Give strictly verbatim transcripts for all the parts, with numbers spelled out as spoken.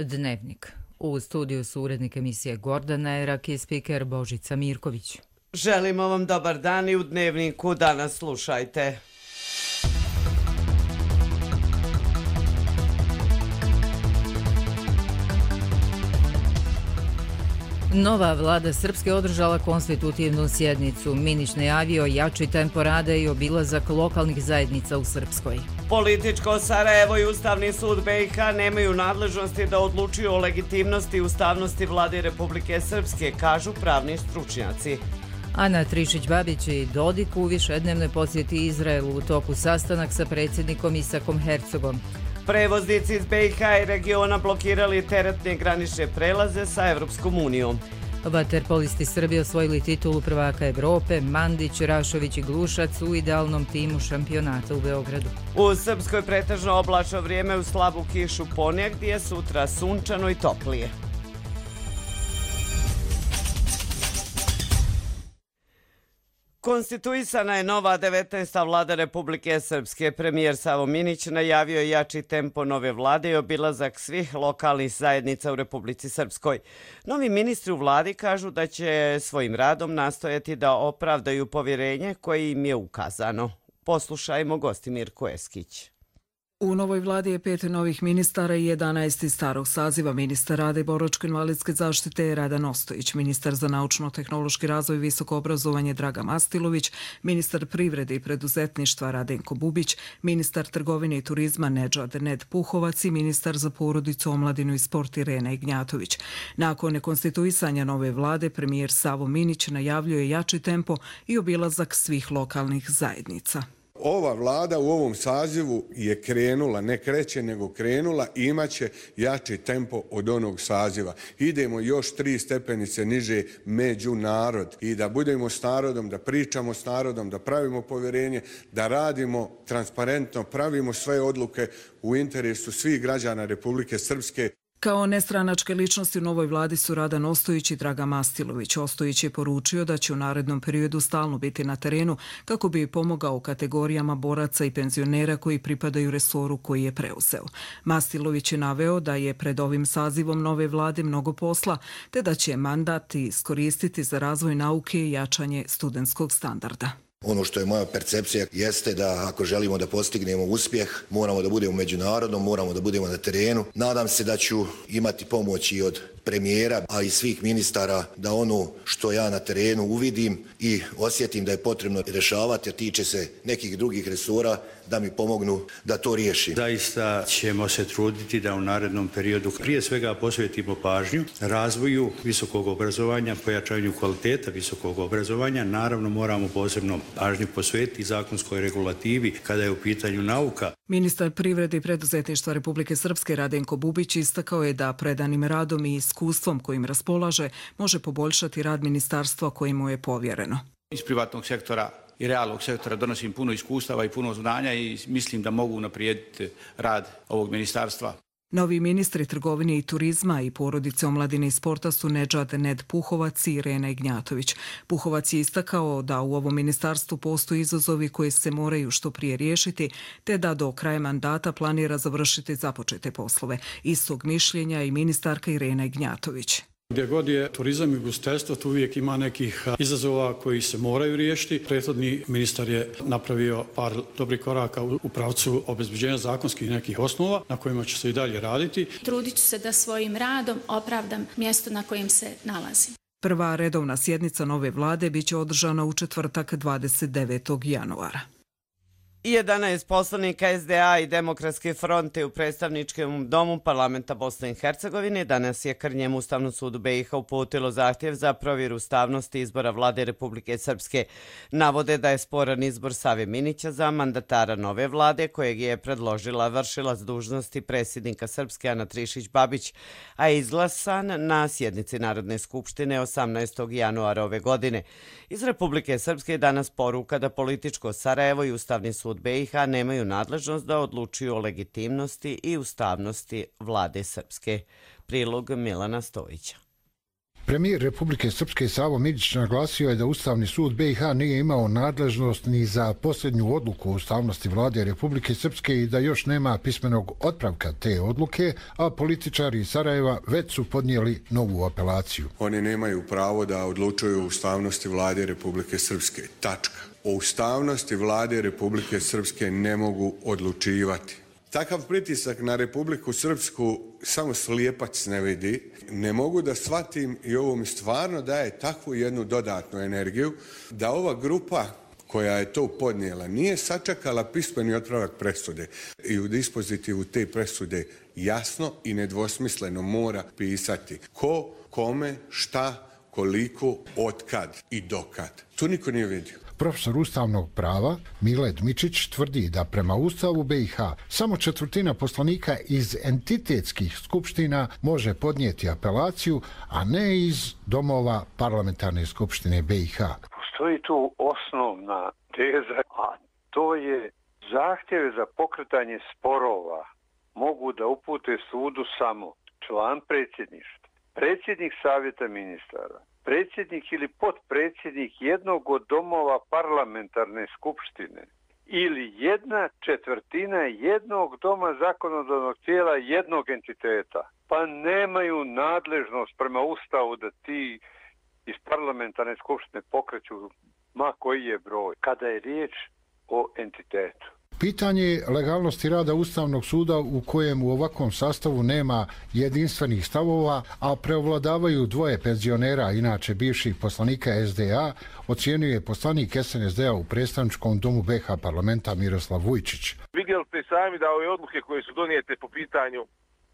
Dnevnik. U studiju su urednik emisije Gordana Erak i spiker Božica Mirković. Želimo vam dobar dan i u Dnevniku danas slušajte. Nova vlada Srpske održala konstitutivnu sjednicu. Minić najavio jači tempo rada i obilazak lokalnih zajednica u Srpskoj. Političko Sarajevo i Ustavni sud B i H nemaju nadležnosti da odlučuju o legitimnosti i ustavnosti vlade Republike Srpske, kažu pravni stručnjaci. Ana Trišić-Babić i Dodik u višednevnoj posjeti Izraelu, u toku sastanak sa predsjednikom Isakom Hercogom. Prevoznici iz B i H i regiona blokirali teretne granične prelaze sa Evropskom unijom. Vaterpolisti Srbije osvojili titulu prvaka Evrope, Mandić, Rašović i Glušac u idealnom timu šampionata u Beogradu. U Srpskoj pretežno oblačno vrijeme uz slabu kišu ponegdje, gdje je sutra sunčano i toplije. Konstituisana je nova devetnaesta vlada Republike Srpske. Premijer Savo Minić najavio je jači tempo nove vlade i obilazak svih lokalnih zajednica u Republici Srpskoj. Novi ministri u vladi kažu da će svojim radom nastojati da opravdaju povjerenje koje im je ukazano. Poslušajmo Gostimirku Eskić. U novoj vladi je pet novih ministara i jedanaest iz starog saziva. Ministar rada i boračko-invalidske zaštite je Radan Ostojić, ministar za naučno-tehnološki razvoj i visoko obrazovanje Dragan Mastilović, ministar privrede i preduzetništva Radenko Bubić, ministar trgovine i turizma Nedžad Ned Puhovac i ministar za porodicu, omladinu i sport Irena Ignjatović. Nakon nekonstituisanja nove vlade, premijer Savo Minić najavljuje jači tempo i obilazak svih lokalnih zajednica. Ova vlada u ovom sazivu je krenula, ne kreće nego krenula i imaće jači tempo od onog saziva. Idemo još tri stepenice niže među narod i da budemo s narodom, da pričamo s narodom, da pravimo povjerenje, da radimo transparentno, pravimo sve odluke u interesu svih građana Republike Srpske. Kao nestranačke ličnosti u novoj vladi su Radan Ostojić i Dragan Mastilović. Ostojić je poručio da će u narednom periodu stalno biti na terenu kako bi pomogao kategorijama boraca i penzionera koji pripadaju resoru koji je preuzeo. Mastilović je naveo da je pred ovim sazivom nove vlade mnogo posla, te da će mandat iskoristiti za razvoj nauke i jačanje studentskog standarda. Ono što je moja percepcija jeste da ako želimo da postignemo uspjeh, moramo da budemo međunarodno, moramo da budemo na terenu. Nadam se da ću imati pomoć i od premijera, a i svih ministara da ono što ja na terenu uvidim i osjetim da je potrebno rješavati, a tiče se nekih drugih resora, da mi pomognu da to riješim. Zaista ćemo se truditi da u narednom periodu prije svega posvetimo pažnju razvoju visokog obrazovanja, pojačanju kvaliteta visokog obrazovanja. Naravno moramo posebno pažnju posvetiti zakonskoj regulativi kada je u pitanju nauka. Ministar privrede i preduzetništva Republike Srpske Radenko Bubić istakao je da predanim radom i iskustvom kojim raspolaže može poboljšati rad ministarstva kojemu je povjereno. Iz privatnog sektora i realnog sektora donosim puno iskustava i puno znanja i mislim da mogu unaprijediti rad ovog ministarstva. Novi ministri trgovine i turizma i porodice, omladine i sporta su Nedžad Ned Puhovac i Irena Ignjatović. Puhovac je istakao da u ovom ministarstvu postoje izazovi koji se moraju što prije riješiti, te da do kraja mandata planira završiti započete poslove. Istog mišljenja i ministarka Irena Ignjatović. Gdje god je turizam i ugostiteljstvo, tu uvijek ima nekih izazova koji se moraju riješiti. Prethodni ministar je napravio par dobrih koraka u pravcu obezbeđenja zakonskih nekih osnova na kojima će se i dalje raditi. Trudit ću se da svojim radom opravdam mjesto na kojem se nalazim. Prva redovna sjednica nove vlade biće održana u četvrtak dvadeset devetog januara. jedanaest poslanika S D A i Demokratske fronte u predstavničkom domu parlamenta Bosne i Hercegovine danas je Krnjem Ustavnom sudu B i H uputilo zahtjev za provjeru ustavnosti izbora vlade Republike Srpske. Navode da je sporan izbor Save Minića za mandatara nove vlade kojeg je predložila vršilac dužnosti predsjednika Srpske Ana Trišić-Babić, a je izglasan na sjednici Narodne skupštine osamnaestog januara ove godine. Iz Republike Srpske je danas poruka da političko Sarajevo i Ustavni sud B i H nemaju nadležnost da odlučuju o legitimnosti i ustavnosti vlade Srpske. Prilog Milana Stojića. Premijer Republike Srpske Savo Miđić naglasio je da Ustavni sud B i H nije imao nadležnost ni za posljednju odluku o ustavnosti vlade Republike Srpske i da još nema pismenog otpravka te odluke, a političari iz Sarajeva već su podnijeli novu apelaciju. Oni nemaju pravo da odlučuju o ustavnosti vlade Republike Srpske. Tačka. O ustavnosti vlade Republike Srpske ne mogu odlučivati. Takav pritisak na Republiku Srpsku samo slijepac ne vidi. Ne mogu da shvatim i ovo mi stvarno daje takvu jednu dodatnu energiju da ova grupa koja je to podnijela nije sačekala pismeni otpravak presude i u dispozitivu te presude jasno i nedvosmisleno mora pisati ko, kome, šta, koliko, otkad i dokad. To niko nije vidio. Profesor ustavnog prava Mile Dmičić tvrdi da prema Ustavu B i H samo četvrtina poslanika iz entitetskih skupština može podnijeti apelaciju, a ne iz domova parlamentarne skupštine B i H. Postoji tu osnovna teza, a to je zahtjeve za pokretanje sporova mogu da upute sudu samo član predsjedništva, predsjednik savjeta ministara, predsjednik ili potpredsjednik jednog od domova parlamentarne skupštine ili jedna četvrtina jednog doma zakonodavnog tijela jednog entiteta. Pa nemaju nadležnost prema Ustavu da ti iz parlamentarne skupštine pokreću ma koji je broj, kada je riječ o entitetu. Pitanje legalnosti rada Ustavnog suda u kojem u ovakvom sastavu nema jedinstvenih stavova, a preovladavaju dvoje penzionera, inače bivših poslanika S D A, ocjenjuje poslanik S N S D A u predstavničkom domu B i H parlamenta Miroslav Vujčić. Vidjeli ste sami da ove odluke koje su donijete po pitanju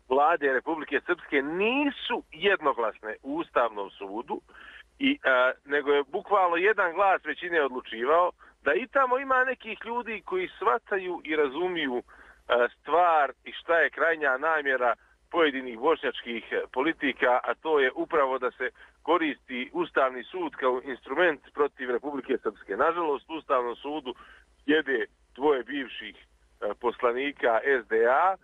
vlade Republike Srpske nisu jednoglasne u Ustavnom sudu, i, a, nego je bukvalno jedan glas većine odlučivao, da i tamo ima nekih ljudi koji shvataju i razumiju stvar i šta je krajnja namjera pojedinih bošnjačkih politika, a to je upravo da se koristi Ustavni sud kao instrument protiv Republike Srpske. Nažalost, u Ustavnom sudu sjede dvoje bivših poslanika S D A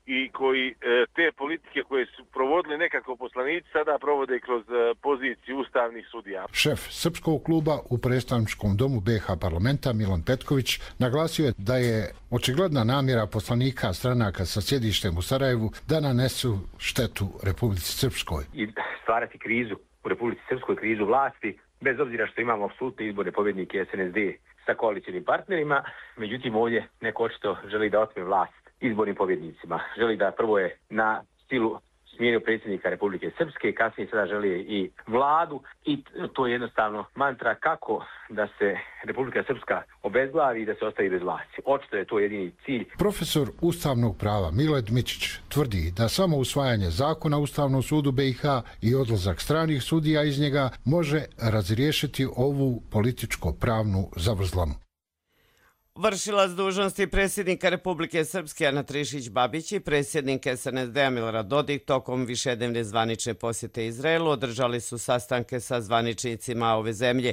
i koji te politike koje su provodili nekako poslanici sada provode kroz poziciju ustavnih sudija. Šef Srpskog kluba u predstavničkom domu B i H parlamenta Milan Petković naglasio je da je očigledna namjera poslanika stranaka sa sjedištem u Sarajevu da nanesu štetu Republici Srpskoj. I stvarati krizu u Republici Srpskoj, krizu vlasti, bez obzira što imamo apsolutne izbore pobjednike S N S D sa koalicijnim partnerima, međutim ovdje neko očito želi da otme vlast izbornim pobjednicima. Želi da prvo je na stilu smijenio predsjednika Republike Srpske, kasnije sada želi i vladu i to je jednostavno mantra kako da se Republika Srpska obezglavi i da se ostavi bez vlasti. Očito je to jedini cilj. Profesor ustavnog prava Mile Dmičić tvrdi da samo usvajanje zakona Ustavnom sudu B i H i odlazak stranih sudija iz njega može razriješiti ovu političko-pravnu zavrzlamu. Vršilac dužnosti predsjednika Republike Srpske Ana Trišić Babić i predsjednik S N S D A Milorad Dodik tokom višednevne zvanične posjete Izraelu održali su sastanke sa zvaničnicima ove zemlje.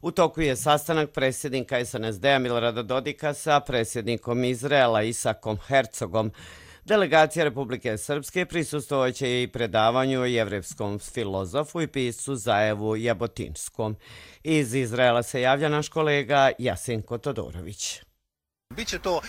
U toku je sastanak predsjednika S N S D A Milorada Dodika sa predsjednikom Izraela Isakom Herzogom. Delegacija Republike Srpske prisustvovaće i predavanju jevrejskom filozofu i piscu Zajevu Jabotinskom. Iz Izraela se javlja naš kolega Jasenko Todorović. Biće to uh,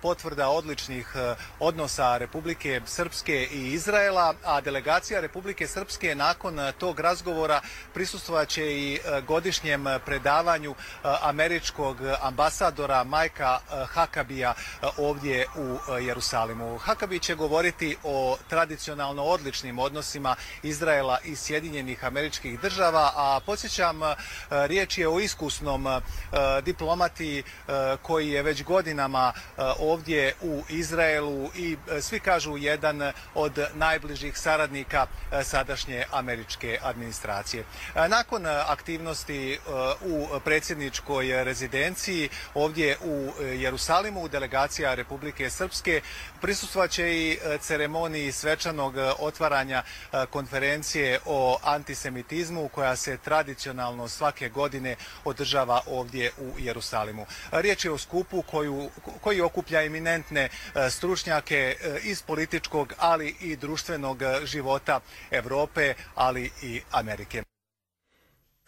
potvrda odličnih uh, odnosa Republike Srpske i Izraela, a delegacija Republike Srpske nakon uh, tog razgovora prisustvovaće i uh, godišnjem predavanju uh, američkog ambasadora Majka uh, Hakabija uh, ovdje u uh, Jerusalimu. Hakabi će govoriti o tradicionalno odličnim odnosima Izraela i Sjedinjenih Američkih Država, a podsjećam, uh, riječ je o iskusnom uh, diplomati uh, koji je već godinama godinama ovdje u Izraelu i svi kažu jedan od najbližih saradnika sadašnje američke administracije. Nakon aktivnosti u predsjedničkoj rezidenciji ovdje u Jerusalimu, delegacija Republike Srpske prisustvovaće i ceremoniji svečanog otvaranja konferencije o antisemitizmu koja se tradicionalno svake godine održava ovdje u Jerusalimu. Riječ je o skupu koju koju, koji okuplja eminentne stručnjake iz političkog, ali i društvenog života Evrope, ali i Amerike.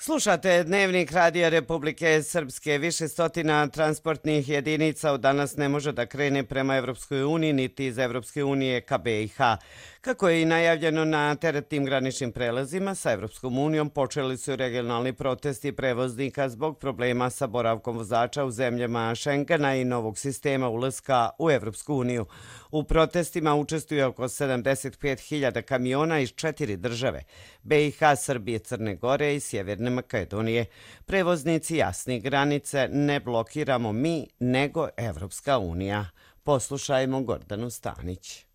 Slušate Dnevnik Radija Republike Srpske. Više stotina transportnih jedinica od danas ne može da krene prema Evropskoj uniji niti iz Evropske unije ka B i H. Kako je i najavljeno na teretnim graničnim prelazima sa Evropskom unijom, počeli su regionalni protesti prevoznika zbog problema sa boravkom vozača u zemljama Schengena i novog sistema ulaska u Evropsku uniju. U protestima učestvuje oko sedamdeset pet hiljada kamiona iz četiri države: B i H, Srbije, Crne Gore i Sjeverne Makedonije. Prevoznici jasni granice ne blokiramo mi, nego Evropska unija. Poslušajmo Gordanu Stanić.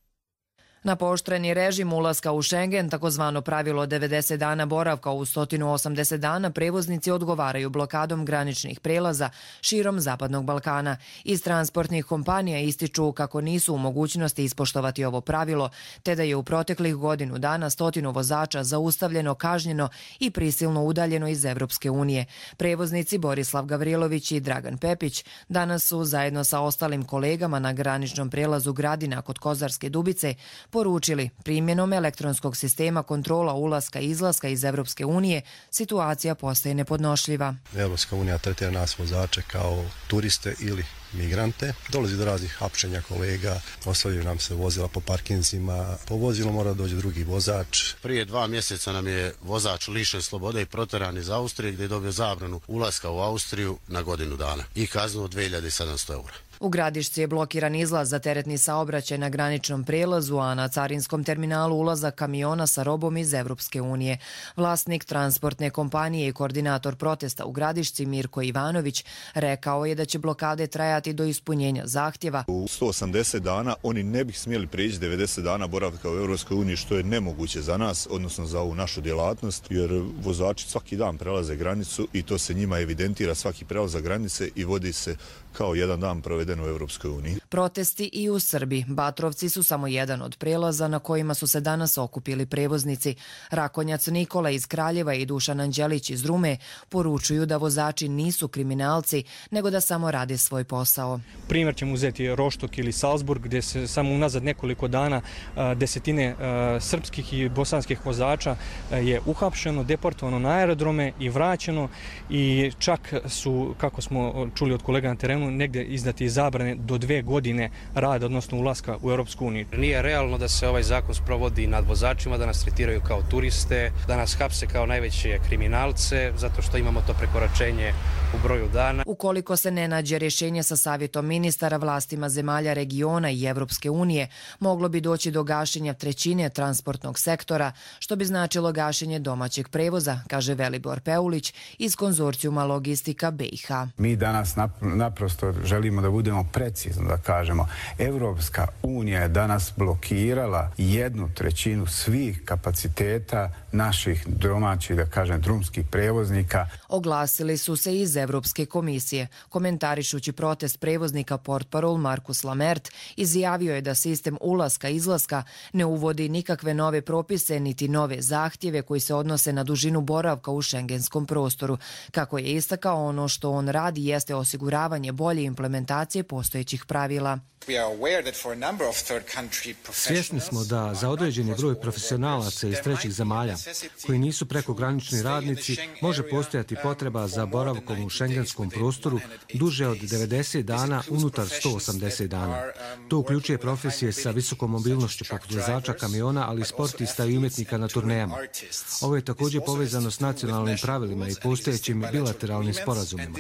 Na pooštreni režim ulaska u Schengen, takozvano pravilo devedeset dana boravka u sto osamdeset dana, prevoznici odgovaraju blokadom graničnih prelaza širom Zapadnog Balkana. Iz transportnih kompanija ističu kako nisu u mogućnosti ispoštovati ovo pravilo, te da je u proteklih godinu dana stotinu vozača zaustavljeno, kažnjeno i prisilno udaljeno iz Evropske unije. Prevoznici Borislav Gavrilović i Dragan Pepić danas su zajedno sa ostalim kolegama na graničnom prelazu Gradina kod Kozarske Dubice poručili: primjenom elektronskog sistema kontrola ulaska i izlaska iz Evropske unije situacija postaje nepodnošljiva. Evropska unija tretira nas vozače kao turiste ili migrante. Dolazi do raznih hapšenja kolega, ostavljaju nam se vozila po parkinzima, po vozilu mora doći drugi vozač. Prije dva mjeseca nam je vozač lišen slobode i proteran iz Austrije, gdje je dobio zabranu ulaska u Austriju na godinu dana i kaznu od dve hiljade sedamsto eura. U Gradišci je blokiran izlaz za teretni saobraćaj na graničnom prelazu, a na carinskom terminalu ulazak kamiona sa robom iz Evropske unije. Vlasnik transportne kompanije i koordinator protesta u Gradišci Mirko Ivanović rekao je da će blokade trajati do ispunjenja zahtjeva. U sto osamdeset dana oni ne bi smjeli prijeći devedeset dana boravka u Evropskoj uniji, što je nemoguće za nas, odnosno za ovu našu djelatnost, jer vozači svaki dan prelaze granicu i to se njima evidentira svaki prelazak granice i vodi se kao jedan dan proveden u Evropskoj uniji. Protesti i u Srbiji. Batrovci su samo jedan od prelaza na kojima su se danas okupili prevoznici. Rakonjac Nikola iz Kraljeva i Dušan Anđelić iz Rume poručuju da vozači nisu kriminalci, nego da samo rade svoj posao. Primjer ćemo uzeti Roštok ili Salzburg, gdje se samo unazad nekoliko dana desetine srpskih i bosanskih vozača je uhapšeno, deportovano na aerodrome i vraćeno, i čak su, kako smo čuli od kolega na terenu, negdje izdati zabrane do dve godine rada, odnosno ulaska u Europsku uniju. Nije realno da se ovaj zakon sprovodi nad vozačima, da nas tretiraju kao turiste, da nas hapse kao najveće kriminalce, zato što imamo to prekoračenje u broju dana. Ukoliko se ne nađe rješenje sa savjetom ministara, vlastima zemalja regiona i Evropske unije, moglo bi doći do gašenja trećine transportnog sektora, što bi značilo gašenje domaćeg prevoza, kaže Velibor Peulić iz konzorcijuma Logistika B i H. Mi danas naprosto želimo da budemo precizno, da kažemo. Evropska unija je danas blokirala jednu trećinu svih kapaciteta naših domaćih, da kažem, drumskih prevoznika. Oglasili su se iz Evropske komisije. Komentarišući protest prevoznika, portparol Markus Lamert izjavio je da sistem ulaska-izlaska ne uvodi nikakve nove propise niti nove zahtjeve koji se odnose na dužinu boravka u šengenskom prostoru. Kako je istakao, ono što on radi jeste osiguravanje bolje implementacije postojećih pravila. Svjesni smo da za određeni broj profesionalaca iz trećih zemalja koji nisu prekogranični radnici može postojati potreba za boravkom u šengenskom prostoru duže od devedeset dana unutar sto osamdeset dana. To uključuje profesije sa visokom mobilnošću poput vozača kamiona, ali i sportista i umjetnika na turnejama. Ovo je također povezano s nacionalnim pravilima i postojećim bilateralnim sporazumima.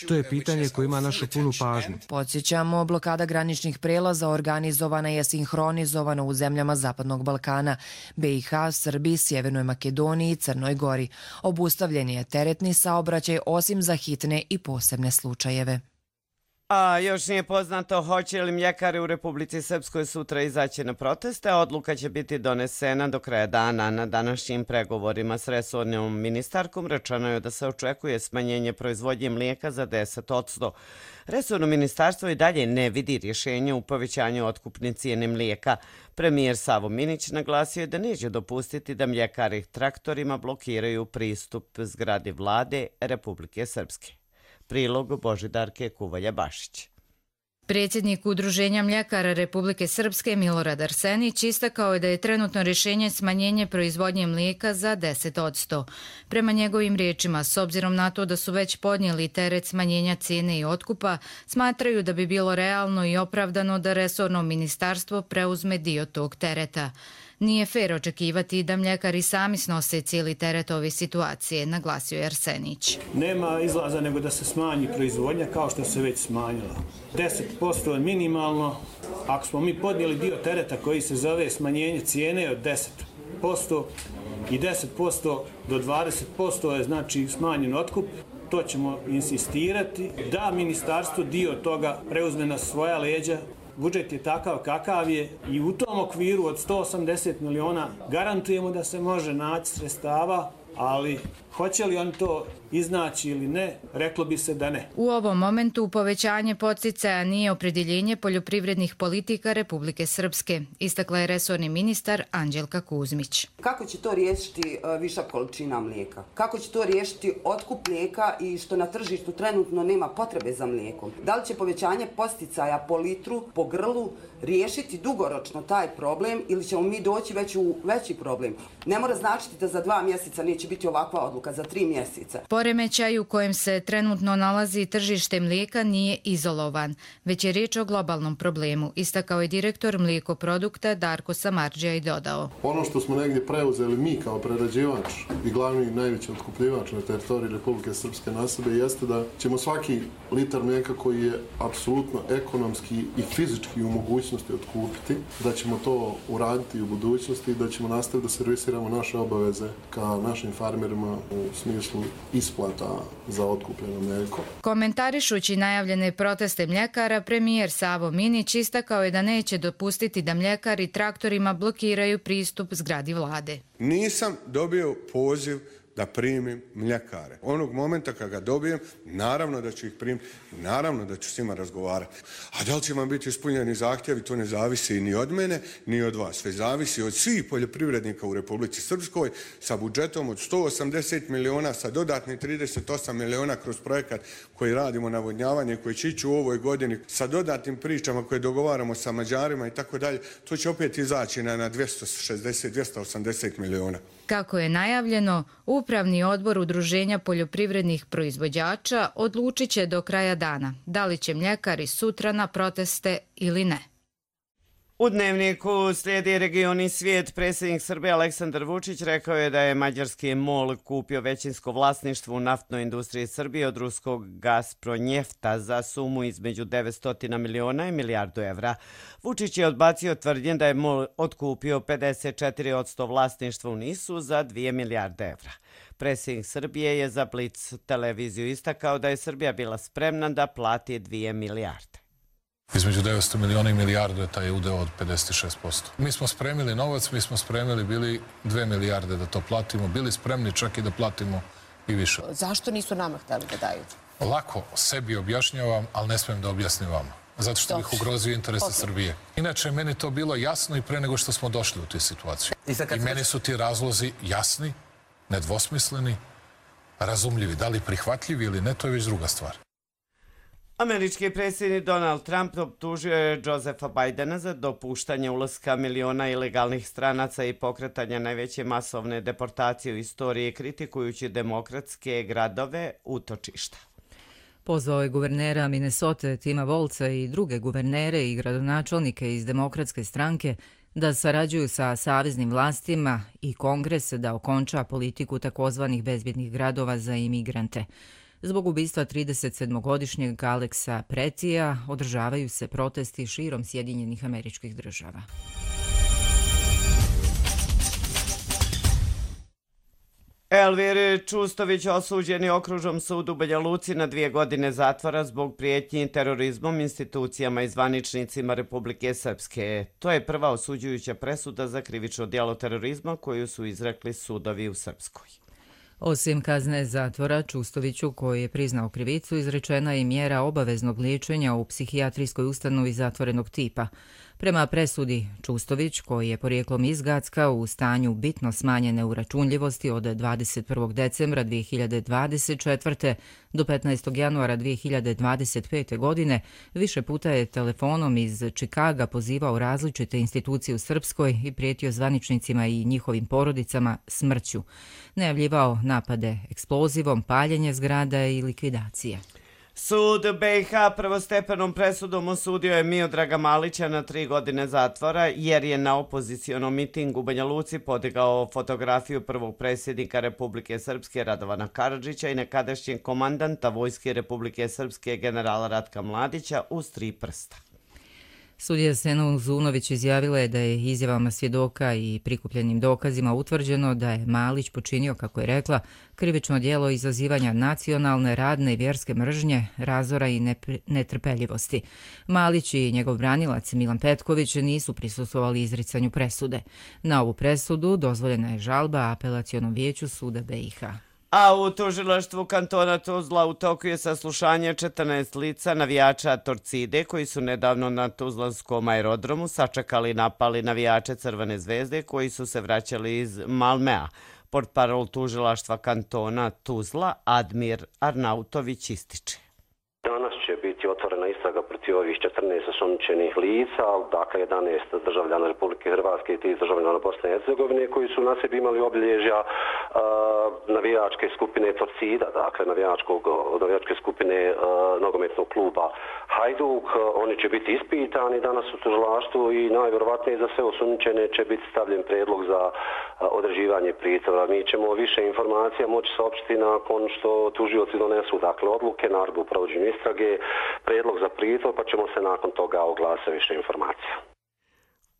To je pitanje koje ima našu punu pažnju. Podsjećamo, blokada graničnih prelaza organizovana je sinhronizovano u zemljama Zapadnog Balkana, B i H, Srbiji, Sjevernoj Makedoniji i Crnoj Gori. Obustavljen je teretni saobraćaj osim za hitne i posebne slučajeve. A još nije poznato hoće li mljekari u Republici Srpskoj sutra izaći na proteste. Odluka će biti donesena do kraja dana. Na današnjim pregovorima s resornom ministarkom rečeno je da se očekuje smanjenje proizvodnje mlijeka za deset posto. Resorno ministarstvo i dalje ne vidi rješenje u povećanju otkupne cijene mlijeka. Premijer Savo Minić naglasio je da neće dopustiti da mljekari traktorima blokiraju pristup zgradi vlade Republike Srpske. Prilog Božidarke Kuvalja-Bašić. Predsjednik Udruženja mljekara Republike Srpske Milorad Arsenić istakao je da je trenutno rješenje smanjenje proizvodnje mlijeka za deset posto. Prema njegovim riječima, s obzirom na to da su već podnijeli teret smanjenja cijene i otkupa, smatraju da bi bilo realno i opravdano da resorno ministarstvo preuzme dio tog tereta. Nije fer očekivati da mljekari sami snose cijeli teret ove situacije, naglasio je Arsenić. Nema izlaza nego da se smanji proizvodnja kao što se već smanjila. deset posto je minimalno. Ako smo mi podnijeli dio tereta koji se zove smanjenje cijene od deset posto i deset posto do dvadeset posto je znači smanjen otkup, to ćemo insistirati da ministarstvo dio toga preuzme na svoja leđa. Budžet je takav kakav je i u tom okviru od sto osamdeset miliona garantujemo da se može naći sredstava, ali hoće li on to iznaći ili ne, reklo bi se da ne. U ovom momentu povećanje podsticaja nije opredjeljenje poljoprivrednih politika Republike Srpske, istakla je resorni ministar Anđelka Kuzmić. Kako će to riješiti višak količina mlijeka? Kako će to riješiti otkup mlijeka i što na tržištu trenutno nema potrebe za mlijekom? Da li će povećanje podsticaja po litru, po grlu riješiti dugoročno taj problem ili ćemo mi doći već u veći problem? Ne mora značiti da za dva mjeseca neće biti ovakva odluka, za tri mjeseca. Poremećaj u kojem se trenutno nalazi tržište mlijeka nije izolovan, već je riječ o globalnom problemu, istakao je direktor mlijekoprodukta Darko Samardžija i dodao. Ono što smo negdje preuzeli mi kao prerađivač i glavni i najveći otkupljivač na teritoriji Republike Srpske na sebe jeste da ćemo svaki litar mlijeka koji je apsolutno ekonomski i fizički u mogućnosti otkupiti, da ćemo to uraditi u budućnosti i da ćemo nastaviti da servisiramo naše obaveze ka našim farmerima u smislu isplata za otkupljeno mlijeko. Komentarišući najavljene proteste mljekara, premijer Savo Minić istakao je da neće dopustiti da mljekari traktorima blokiraju pristup zgradi vlade. Nisam dobio poziv da primim mljekare. Onog momenta kad ga dobijem, naravno da ću ih primiti, naravno da ću s njima razgovarati. A da li će vam biti ispunjeni zahtjevi, to ne zavisi ni od mene, ni od vas. Sve zavisi od svih poljoprivrednika u Republici Srpskoj sa budžetom od sto osamdeset miliona, sa dodatnih trideset osam miliona kroz projekat koji radimo navodnjavanje, koji će ići u ovoj godini, sa dodatnim pričama koje dogovaramo sa Mađarima i tako dalje. To će opet izaći na, na dvjesto šezdeset do dvjesto osamdeset miliona. Kako je najavljeno, Upravni odbor Udruženja poljoprivrednih proizvođača odlučit će do kraja dana da li će mljekari sutra na proteste ili ne. U Dnevniku slijedi Regioni svijet. Predsjednik Srbije Aleksandar Vučić rekao je da je mađarski MOL kupio većinsko vlasništvo u naftnoj industriji Srbije od ruskog Gazpronjefta za sumu između devetsto miliona i milijardu evra. Vučić je odbacio tvrdnje da je MOL otkupio pedeset četiri posto vlasništva u Nisu za dvije milijarde evra. Predsjednik Srbije je za Blic televiziju istakao da je Srbija bila spremna da plati dvije milijarde. Između devetsto miliona i milijardu je taj udeo od pedeset šest posto. Mi smo spremili novac, mi smo spremili bili dve milijarde da to platimo, bili spremni čak i da platimo i više. Zašto nisu nama htjeli da daju? Lako sebi objašnjavam, ali ne smijem da objasnim vama. Zato što bih ugrozio interese Srbije. Inače, meni to bilo jasno i pre nego što smo došli u tu situaciju. I meni su ti razlozi jasni, nedvosmisleni, razumljivi. Da li prihvatljivi ili ne, to je već druga stvar. Američki predsjednik Donald Trump optužio je Josefa Bidena za dopuštanje ulaska miliona ilegalnih stranaca i pokretanja najveće masovne deportacije u istoriji, kritikujući demokratske gradove utočišta. Pozvao je guvernera Minnesota Tima Volca i druge guvernere i gradonačelnike iz demokratske stranke da sarađuju sa saveznim vlastima i Kongres da okonča politiku takozvanih bezbjednih gradova za imigrante. Zbog ubistva tridesetsedmogodišnjeg Aleksa Pretija održavaju se protesti širom Sjedinjenih Američkih Država. Elvir Čustović osuđen je okružnom sudu u Banja Luci na dvije godine zatvora zbog prijetnji terorizmom institucijama i zvaničnicima Republike Srpske. To je prva osuđujuća presuda za krivično djelo terorizma koju su izrekli sudovi u Srpskoj. Osim kazne zatvora, Čustoviću, koji je priznao krivicu, izrečena je mjera obaveznog liječenja u psihijatrijskoj ustanovi zatvorenog tipa. Prema presudi, Čustović, koji je porijeklom iz Gacka u stanju bitno smanjene uračunljivosti od dvadeset prvog decembra dvije hiljade dvadeset četvrte do petnaestog januara dvije hiljade dvadeset pete. godine, više puta je telefonom iz Čikaga pozivao različite institucije u Srpskoj i prijetio zvaničnicima i njihovim porodicama smrću. Najavljivao napade eksplozivom, paljenje zgrada i likvidacije. Sud B i H prvostepenom presudom osudio je Miodraga Malića na tri godine zatvora jer je na opozicionom mitingu u Banja Luci podigao fotografiju prvog predsjednika Republike Srpske Radovana Karadžića i nekadašnjeg komandanta Vojske Republike Srpske generala Ratka Mladića uz tri prsta. Sudija Sena Uzunović izjavila je da je izjavama svjedoka i prikupljenim dokazima utvrđeno da je Malić počinio, kako je rekla, krivično djelo izazivanja nacionalne, radne i vjerske mržnje, razora i netrpeljivosti. Malić i njegov branilac Milan Petković nisu prisustvovali izricanju presude. Na ovu presudu dozvoljena je žalba apelacionom vijeću suda B i H. A u tužilaštvu kantona Tuzla u toku je saslušanje četrnaest lica navijača Torcide koji su nedavno na Tuzlanskom aerodromu sačekali i napali navijače Crvene zvezde koji su se vraćali iz Malmea. Portparol tužilaštva kantona Tuzla Admir Arnautović ističe. Danas će biti otvorena istraga protiv ovih četrnaest osumnjičenih lica, dakle jedanaest državljana Republike Hrvatske i tri državljana Bosne i Hercegovine koji su na sebi imali obilježja uh, navijačke skupine Torcida, dakle navijačkog, navijačke skupine uh, nogometnog kluba Hajduk. Oni će biti ispitani danas u tužilaštvu i najvjerovatnije za sve osumnjičene će biti stavljen predlog za uh, određivanje pritvora. Mi ćemo više informacija moći saopštiti nakon što tužioci donesu dakle odluke, naredbu u provođenju istrage, predlog za pritvor, pa ćemo se nakon toga oglasiti više informacija.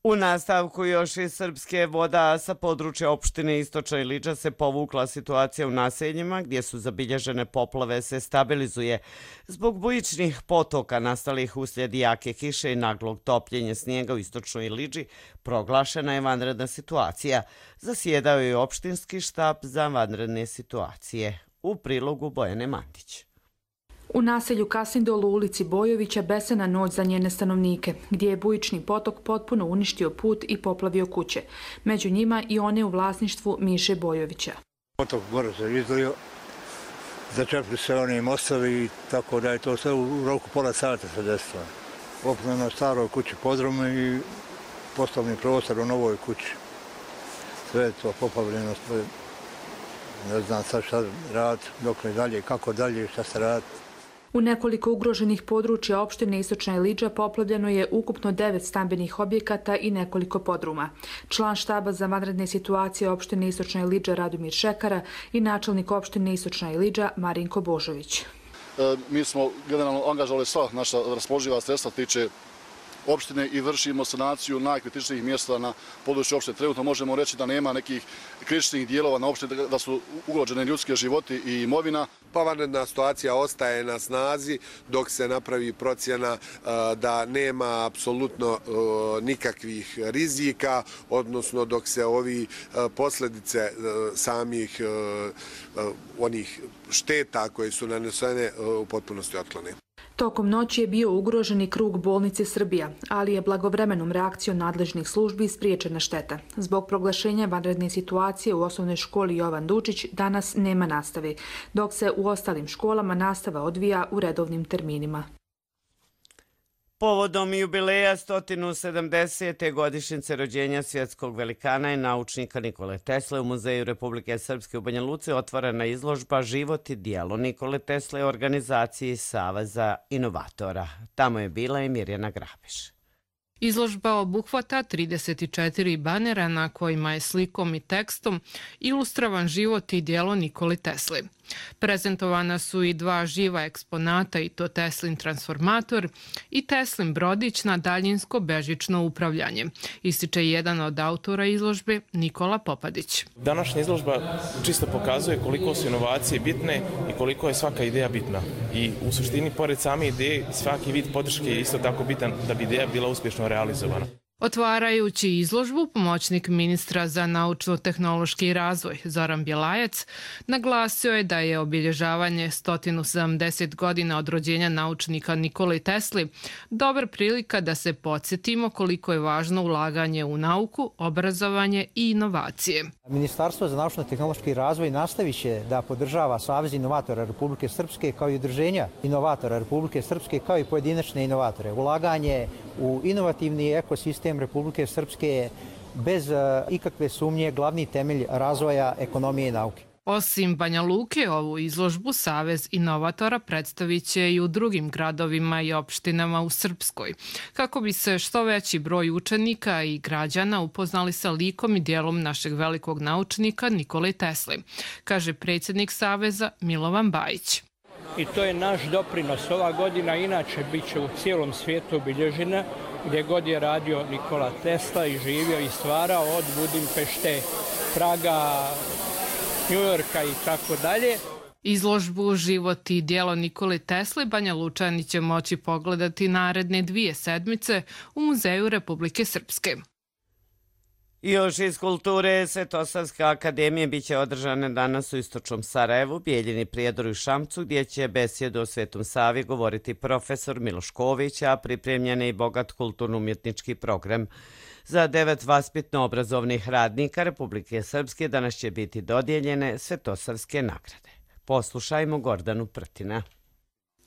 U nastavku još iz Srpske voda sa područja opštine Istočna Iliđa se povukla situacija u naseljima gdje su zabilježene poplave se stabilizuje. Zbog bujičnih potoka nastalih uslijed jake kiše i naglog topljenja snijega u Istočnoj Iliđi proglašena je vanredna situacija. Zasjedao je opštinski štab za vanredne situacije. U prilogu Bojane Mandić. U naselju Kasindol u ulici Bojovića besena noć za njene stanovnike, gdje je bujični potok potpuno uništio put i poplavio kuće. Među njima i one u vlasništvu Miše Bojovića. Potok gore se izlio, začepili se oni mostovi, tako da je to sve u roku pola sata se desilo. Poplavljeno na staroj kući podrume i poslovni prostor u novoj kući. Sve je to poplavljeno, ne znam sad šta rad, dok ne dalje, kako dalje, šta se radi. U nekoliko ugroženih područja opštine Istočna Iliđa poplavljeno je ukupno devet stambenih objekata i nekoliko podruma. Član štaba za vanredne situacije opštine Istočna Iliđa Radomir Šekara i načelnik opštine Istočna Iliđa Marinko Božović. E, mi smo generalno angažovali sva naša raspoloživa sredstva tiče opštine i vršimo sanaciju najkritičnijih mjesta na području opštine. Trenutno možemo reći da nema nekih kritičnih dijelova na opštini, da su ugrožene ljudske životi i imovina. Pa vanredna situacija ostaje na snazi dok se napravi procjena da nema apsolutno nikakvih rizika, odnosno dok se ovi posljedice samih onih šteta koje su nanesene u potpunosti otklone. Tokom noći je bio ugrožen i krug bolnice Srbija, ali je blagovremenom reakcijom nadležnih službi spriječena šteta. Zbog proglašenja vanredne situacije u osnovnoj školi Jovan Dučić danas nema nastave, dok se u ostalim školama nastava odvija u redovnim terminima. Povodom jubileja sto sedamdesete godišnjice rođenja svjetskog velikana i naučnika Nikole Tesle u Muzeju Republike Srpske u Banja Luci otvorena izložba Život i djelo Nikole Tesle u organizaciji Saveza inovatora. Tamo je bila i Mirjana Grabiš. Izložba obuhvata trideset četiri banera na kojima je slikom i tekstom ilustrovan život i djelo Nikole Tesle. Prezentovana su i dva živa eksponata, i to Teslin transformator i Teslin brodić na daljinsko bežično upravljanje, ističe jedan od autora izložbe Nikola Popadić. Današnja izložba čisto pokazuje koliko su inovacije bitne i koliko je svaka ideja bitna. I u suštini, pored same ideje, svaki vid podrške je isto tako bitan da bi ideja bila uspješno realizovana. Otvarajući izložbu, pomoćnik ministra za naučno-tehnološki razvoj Zoran Bjelajac naglasio je da je obilježavanje sto sedamdeset godina od rođenja naučnika Nikole Tesli dobra prilika da se podsjetimo koliko je važno ulaganje u nauku, obrazovanje i inovacije. Ministarstvo za naučno-tehnološki razvoj nastavit će da podržava Savez inovatora Republike Srpske kao i udruženja inovatora Republike Srpske kao i pojedinačne inovatore. Ulaganje u inovativni ekosistem Republike Srpske je bez ikakve sumnje glavni temelj razvoja ekonomije i nauke. Osim Banja Luke, ovu izložbu Savez inovatora predstavit će i u drugim gradovima i opštinama u Srpskoj, kako bi se što veći broj učenika i građana upoznali sa likom i dijelom našeg velikog naučnika Nikole Tesle, kaže predsjednik Saveza Milovan Bajić. I to je naš doprinos. Ova godina inače bit će u cijelom svijetu obilježena gdje god je radio Nikola Tesla i živio i stvarao od Budimpešte, Praga, Njujorka i tako dalje. Izložbu Život i djelo Nikole Tesle Banja Lučani će moći pogledati naredne dvije sedmice u Muzeju Republike Srpske. I još iz kulture, Svetosavske akademije biće održane danas u istočnom Sarajevu, Bijeljini, Prijedoru i Šamcu, gdje će besjedu o Svetom Savi govoriti profesor Miloš Ković, a pripremljen je i bogat kulturno-umjetnički program. Za devet vaspitno-obrazovnih radnika Republike Srpske danas će biti dodijeljene Svetosavske nagrade. Poslušajmo Gordanu Prtina.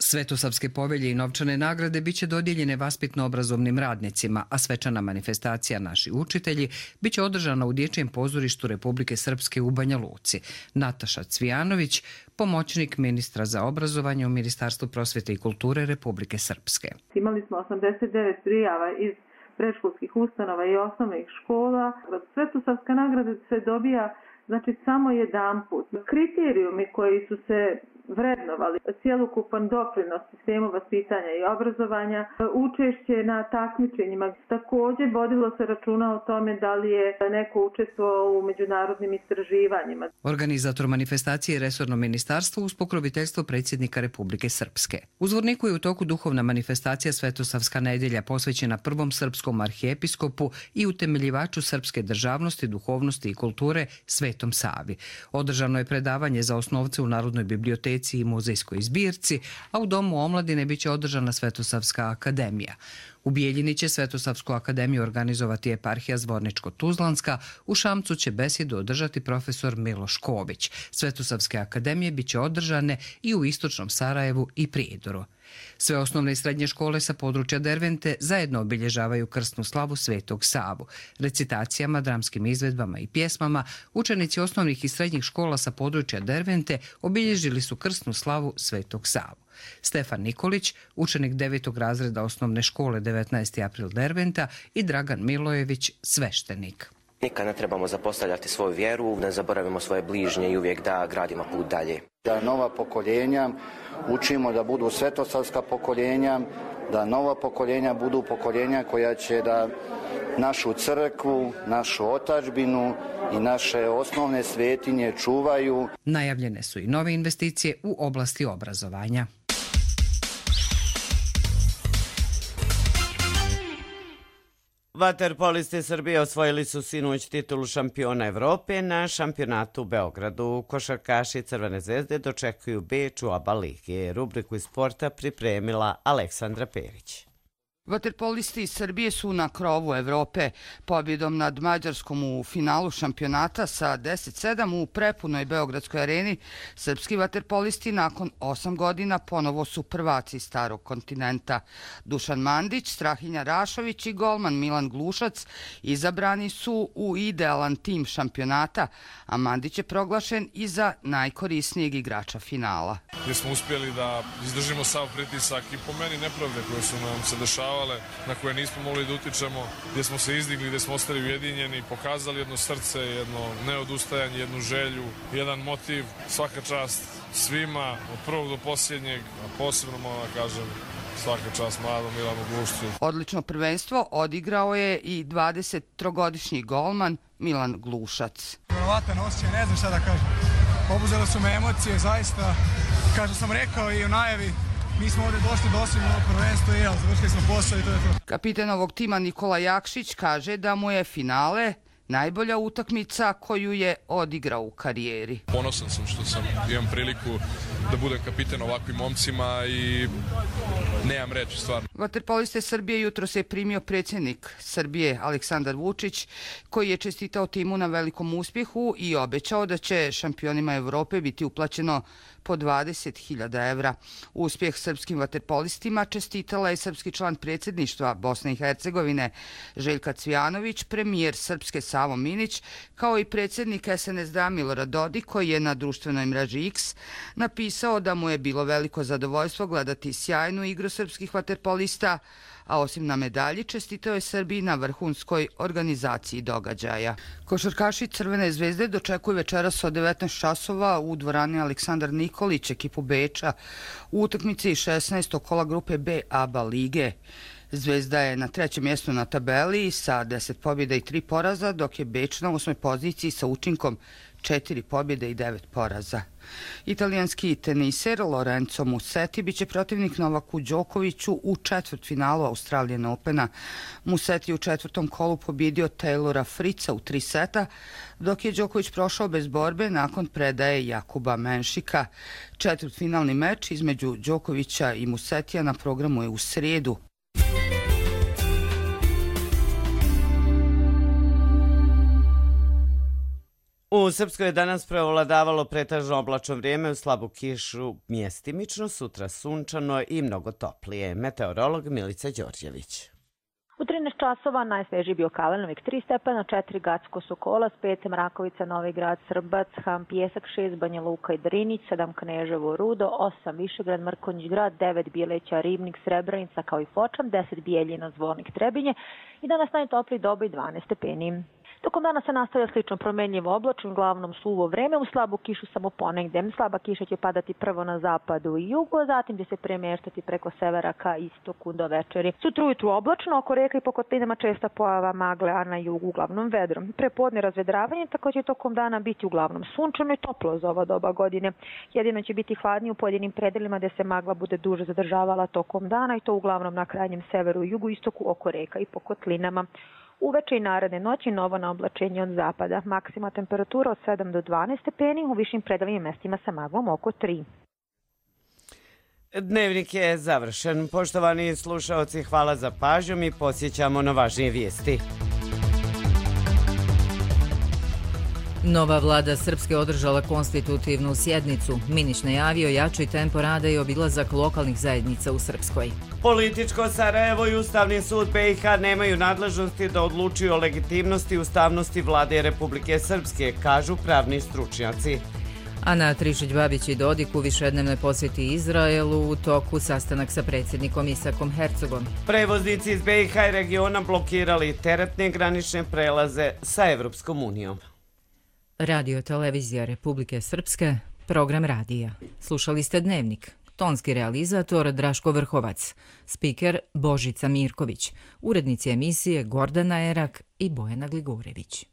Svetosavske povelje i novčane nagrade biće dodijeljene vaspitno-obrazovnim radnicima, a svečana manifestacija Naši učitelji biće održana u Dječjem pozorištu Republike Srpske u Banja Luci. Nataša Cvijanović, pomoćnik ministra za obrazovanje u Ministarstvu prosvjete i kulture Republike Srpske. Imali smo osamdeset devet prijava iz predškolskih ustanova i osnovnih škola. Svetosavska nagrada se dobija znači samo jedan put. Kriterijumi koji su se vrednovali, cjelokupan doprinos sistemu vaspitanja i obrazovanja, učešće na takmičenjima. Također vodilo se računa o tome da li je neko učestvovao u međunarodnim istraživanjima. Organizator manifestacije je resorno ministarstvo uz pokroviteljstvo predsjednika Republike Srpske. U Zvorniku je u toku duhovna manifestacija Svetosavska nedjelja posvećena prvom srpskom arhijepiskopu i utemeljivaču srpske državnosti, duhovnosti i kulture Svetom Savi. Održano je predavanje za osnovce u Narodnoj biblioteci i muzejskoj zbirci, a u Domu omladine biće održana Svetosavska akademija. U Bijeljini će Svetosavsku akademiju organizovati eparhija Zvorničko-Tuzlanska, u Šamcu će besjedu održati profesor Miloš Ković. Svetosavske akademije biće održane i u istočnom Sarajevu i Prijedoru. Sve osnovne i srednje škole sa područja Dervente zajedno obilježavaju krsnu slavu Svetog Savu. Recitacijama, dramskim izvedbama i pjesmama učenici osnovnih i srednjih škola sa područja Dervente obilježili su krsnu slavu Svetog Savu. Stefan Nikolić, učenik devetog razreda osnovne škole devetnaesti april Derventa i Dragan Milojević, sveštenik. Nikad ne trebamo zapostavljati svoju vjeru, ne zaboravimo svoje bližnje i uvijek da gradimo put dalje. Da nova pokoljenja učimo da budu svetosavska pokoljenja, da nova pokoljenja budu pokoljenja koja će da našu crkvu, našu otadžbinu i naše osnovne svetinje čuvaju. Najavljene su i nove investicije u oblasti obrazovanja. Vaterpolisti Srbije osvojili su sinoć titulu šampiona Evrope na šampionatu u Beogradu. Košarkaši Crvene zvezde dočekuju Beč u ABA lige. Rubriku iz sporta pripremila Aleksandra Perić. Vaterpolisti iz Srbije su na krovu Evrope. Pobjedom nad Mađarskom u finalu šampionata sa deset sedam u prepunoj Beogradskoj areni, srpski vaterpolisti nakon osam godina ponovo su prvaci starog kontinenta. Dušan Mandić, Strahinja Rašović i golman Milan Glušac izabrani su u idealan tim šampionata, a Mandić je proglašen i za najkorisnijeg igrača finala. Gdje smo uspjeli da izdržimo sav pritisak i po meni nepravde koje su nam se dešavale, na koje nismo mogli da utičemo, gdje smo se izdigli, gdje smo ostali ujedinjeni, pokazali jedno srce, jedno neodustajanje, jednu želju, jedan motiv. Svaka čast svima, od prvog do posljednjeg, a posebno moram da kažem svaka čast mladom Milanu Glušcu. Odlično prvenstvo odigrao je i dvadesettrogodišnji golman Milan Glušac. Vjerovatan osjećaj, ne znam šta da kažem. Obuzele su me emocije, zaista, kao što sam rekao i u najavi, Mi smo ovdje došli da osvojimo ovo prvenstvo i evo, završili smo posao i to je to. Kapiten ovog tima Nikola Jakšić kaže da mu je finale najbolja utakmica koju je odigrao u karijeri. Ponosan sam što sam imam priliku da budem kapiten ovakvim momcima i nemam reći stvarno. Vaterpoliste Srbije jutro se je primio predsjednik Srbije Aleksandar Vučić, koji je čestitao timu na velikom uspjehu i obećao da će šampionima Evrope biti uplaćeno po dvadeset hiljada evra. Uspjeh srpskim vaterpolistima čestitala je srpski član predsjedništva Bosne i Hercegovine Željka Cvijanović, premijer Srpske Savo Minić, kao i predsjednik es en es de Milorad Dodik, koji je na društvenoj mreži X napisao da mu je bilo veliko zadovoljstvo gledati sjajnu igru srpskih vaterpolista, a osim na medalji čestitao je Srbiji na vrhunskoj organizaciji događaja. Košarkaši Crvene zvezde dočekuju večeras od devetnaest časova u dvorani Aleksandar Nikolić ekipu Beča u utakmici šesnaestog kola grupe B A B A lige. Zvezda je na trećem mjestu na tabeli sa deset pobjeda i tri poraza, dok je Beč na osmoj poziciji sa učinkom četiri pobjede i devet poraza. Italijanski teniser Lorenzo Musetti biće protivnik Novaku Đokoviću u četvrtfinalu Australian Opena. Musetti u četvrtom kolu pobjedio Taylora Fritza u tri seta, dok je Đoković prošao bez borbe nakon predaje Jakuba Menšika. Četvrtfinalni meč između Đokovića i Musettija na programu je u srijedu. U Srpskoj je danas preovladavalo pretežno oblačno vrijeme, u slabu kišu mjestimično, sutra sunčano i mnogo toplije. Meteorolog Milica Đorđević. U trinaest časova najsvežiji bio Kalenovik tri stepena, četiri Gacko Sokolac, pet Mrakovica, Novi Grad, Srbac, Ham, Pjesak, šest Banja Luka i Drinić, sedam Kneževo, Rudo, osam Višegrad, Mrkonjić Grad, devet Bijeleća, Ribnik, Srebrenica kao i Fočan, deset Bijeljina, Zvornik, Trebinje i danas najtopliji Doboj dvanaest stepeni. Tokom dana se nastavlja slično promenljivo oblačno, uglavnom suvo vreme, u slabu kišu samo ponegde. Slaba kiša će padati prvo na zapadu i jugu, a zatim će se premještati preko severa ka istoku do večeri. Sutra ujutru oblačno, oko reka i po kotlinama česta pojava magle, a na jugu uglavnom vedrom. Prepodne razvedravanje, tako će tokom dana biti uglavnom sunčano i toplo za ova doba godine. Jedino će biti hladnije u pojedinim predelima gde se magla bude duže zadržavala tokom dana i to uglavnom na krajnjem severu i jugu istoku oko reka i po kotlinama. Uveče i naredne noći novo na oblačenje od zapada. Maksima temperatura od sedam do dvanaest stepeni, u višim predalim mestima sa maglom oko tri. Dnevnik je završen. Poštovani slušaoci, hvala za pažnju. Mi podsjećamo na važnije vijesti. Nova vlada Srpske održala konstitutivnu sjednicu. Minić najavio jači tempo rada i obilazak lokalnih zajednica u Srpskoj. Političko Sarajevo i Ustavni sud be i ha nemaju nadležnosti da odlučuju o legitimnosti i ustavnosti vlade Republike Srpske, kažu pravni stručnjaci. Ana Trišić-Babić i Dodik u višednevnoj posjeti Izraelu u toku sastanak sa predsjednikom Isakom Hercogom. Prevoznici iz be i ha i regiona blokirali teretne granične prelaze sa Evropskom unijom. Radio Televizija Republike Srpske, program radija. Slušali ste Dnevnik. Tonski realizator Draško Vrhovac, spiker Božica Mirković, urednici emisije Gordana Erak i Bojana Gligorević.